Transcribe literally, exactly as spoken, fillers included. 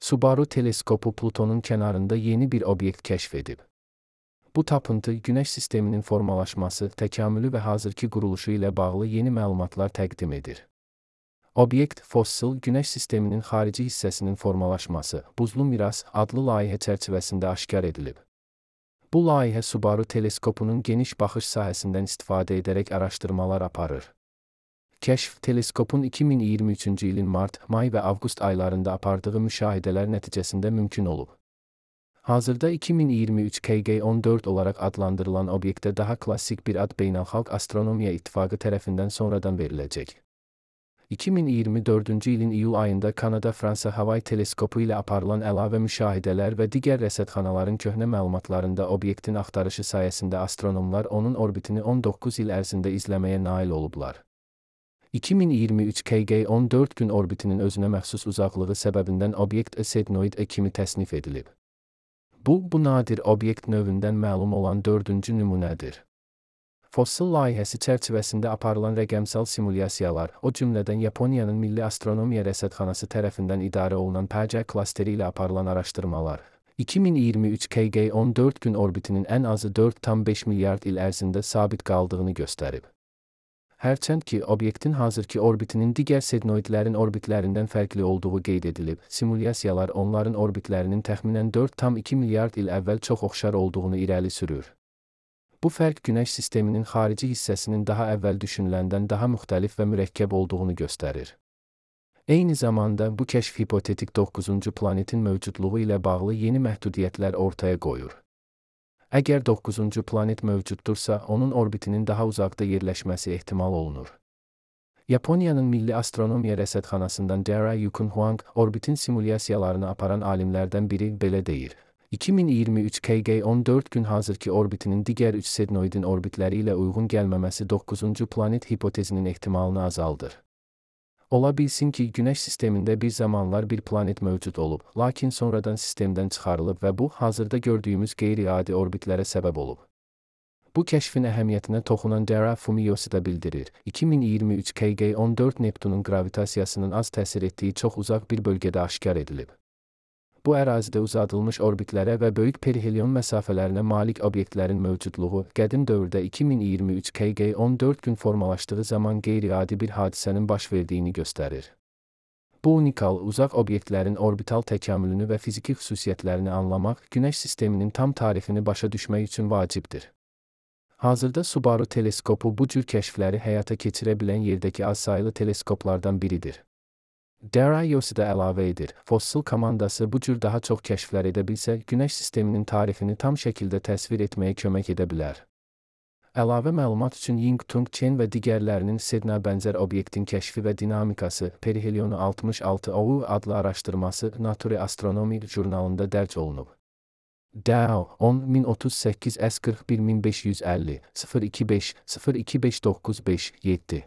Subaru teleskopu Plutonun kənarında yeni bir obyekt kəşf edib. Bu tapıntı Günəş sisteminin formalaşması, təkamülü və hazırki quruluşu ilə bağlı yeni məlumatlar təqdim edir. Obyekt, fossil Günəş sisteminin xarici hissəsinin formalaşması, Buzlu Miras adlı layihə çərçivəsində aşkar edilib. Bu layihə Subaru teleskopunun geniş baxış sahəsindən istifadə edərək araşdırmalar aparır. Kəşf, teleskopun iki min iyirmi üçüncü ilin mart, may və avqust aylarında apardığı müşahidələr nəticəsində mümkün olub. Hazırda iki min iyirmi üç K G on dörd olaraq adlandırılan obyektə daha klassik bir ad Beynəlxalq Astronomiya İttifaqı tərəfindən sonradan veriləcək. iki min iyirmi dördüncü ilin iyul ayında Kanada-Fransa Havay teleskopu ilə aparılan əlavə müşahidələr və digər rəsədxanaların köhnə məlumatlarında obyektin axtarışı sayəsində astronomlar onun orbitini on doqquz il ərzində izləməyə nail olublar. iki min iyirmi üç K G on dörd gün orbitinin özünə məxsus uzaqlığı səbəbindən obyekt Sednoid E kimi təsnif edilib. Bu, bu nadir obyekt növündən məlum olan dördüncü nümunədir. Fossil layihəsi çərçivəsində aparılan rəqəmsal simulyasiyalar, o cümlədən Yaponiyanın Milli Astronomiya Rəsədxanası tərəfindən idarə olunan P C klasteri ilə aparılan araşdırmalar, iki min iyirmi üç K G on dörd gün orbitinin ən azı dörd tam beş milyard il ərzində sabit qaldığını göstərib. Hərçənd ki, obyektin hazırki orbitinin digər sednoidlərin orbitlərindən fərqli olduğu qeyd edilib, simulyasiyalar onların orbitlərinin təxminən dörd tam iki milyard il əvvəl çox oxşar olduğunu irəli sürür. Bu fərq Günəş sisteminin xarici hissəsinin daha əvvəl düşünüləndən daha müxtəlif və mürəkkəb olduğunu göstərir. Eyni zamanda, bu kəşf hipotetik doqquzuncu planetin mövcudluğu ilə bağlı yeni məhdudiyyətlər ortaya qoyur. Əgər doqquzuncu planet mövcuddursa, onun orbitinin daha uzaqda yerləşməsi ehtimal olunur. Yaponiyanın Milli Astronomiya Rəsədxanasından Dara Yukun Huang, orbitin simulyasiyalarını aparan alimlərdən biri belə deyir. iki min iyirmi üç K G on dörd gün hazırki orbitinin digər üç sednoidin orbitləri ilə uyğun gəlməməsi doqquzuncu planet hipotezinin ehtimalını azaldır. Ola bilsin ki, Günəş sistemində bir zamanlar bir planet mövcud olub, lakin sonradan sistemdən çıxarılıb və bu, hazırda gördüyümüz qeyri-adi orbitlərə səbəb olub. Bu kəşfin əhəmiyyətinə toxunan Dara Fumiyoshi da bildirir. iki min iyirmi üç K G on dörd Neptunun gravitasiyasının az təsir etdiyi çox uzaq bir bölgədə aşkar edilib. Bu ərazidə uzadılmış orbitlərə və böyük perihelion məsafələrinə malik obyektlərin mövcudluğu, qədim dövrdə iki min iyirmi üç K G on dörd gün formalaşdığı zaman qeyri-adi bir hadisənin baş verdiyini göstərir. Bu unikal, uzaq obyektlərin orbital təkamülünü və fiziki xüsusiyyətlərini anlamaq, Günəş sisteminin tam tarixini başa düşmək üçün vacibdir. Hazırda Subaru teleskopu bu cür kəşfləri həyata keçirə bilən yerdəki azsaylı teleskoplardan biridir. Dara Yosi də əlavə edir, fossil komandası bu cür daha çox kəşflər edə bilsə, Günəş sisteminin tarixini tam şəkildə təsvir etməyə kömək edə bilər. Əlavə məlumat üçün Ying-Tung Chen və digərlərinin Sedna bənzər obyektin kəşfi və dinamikası, perihelionu altmış altı O U adlı araşdırması Nature Astronomy jurnalında dərc olunub. Dao, on min otuz səkkiz S qırx bir min beş yüz əlli, sıfır iki beş, sıfır iki beş doqquz beş, yeddi.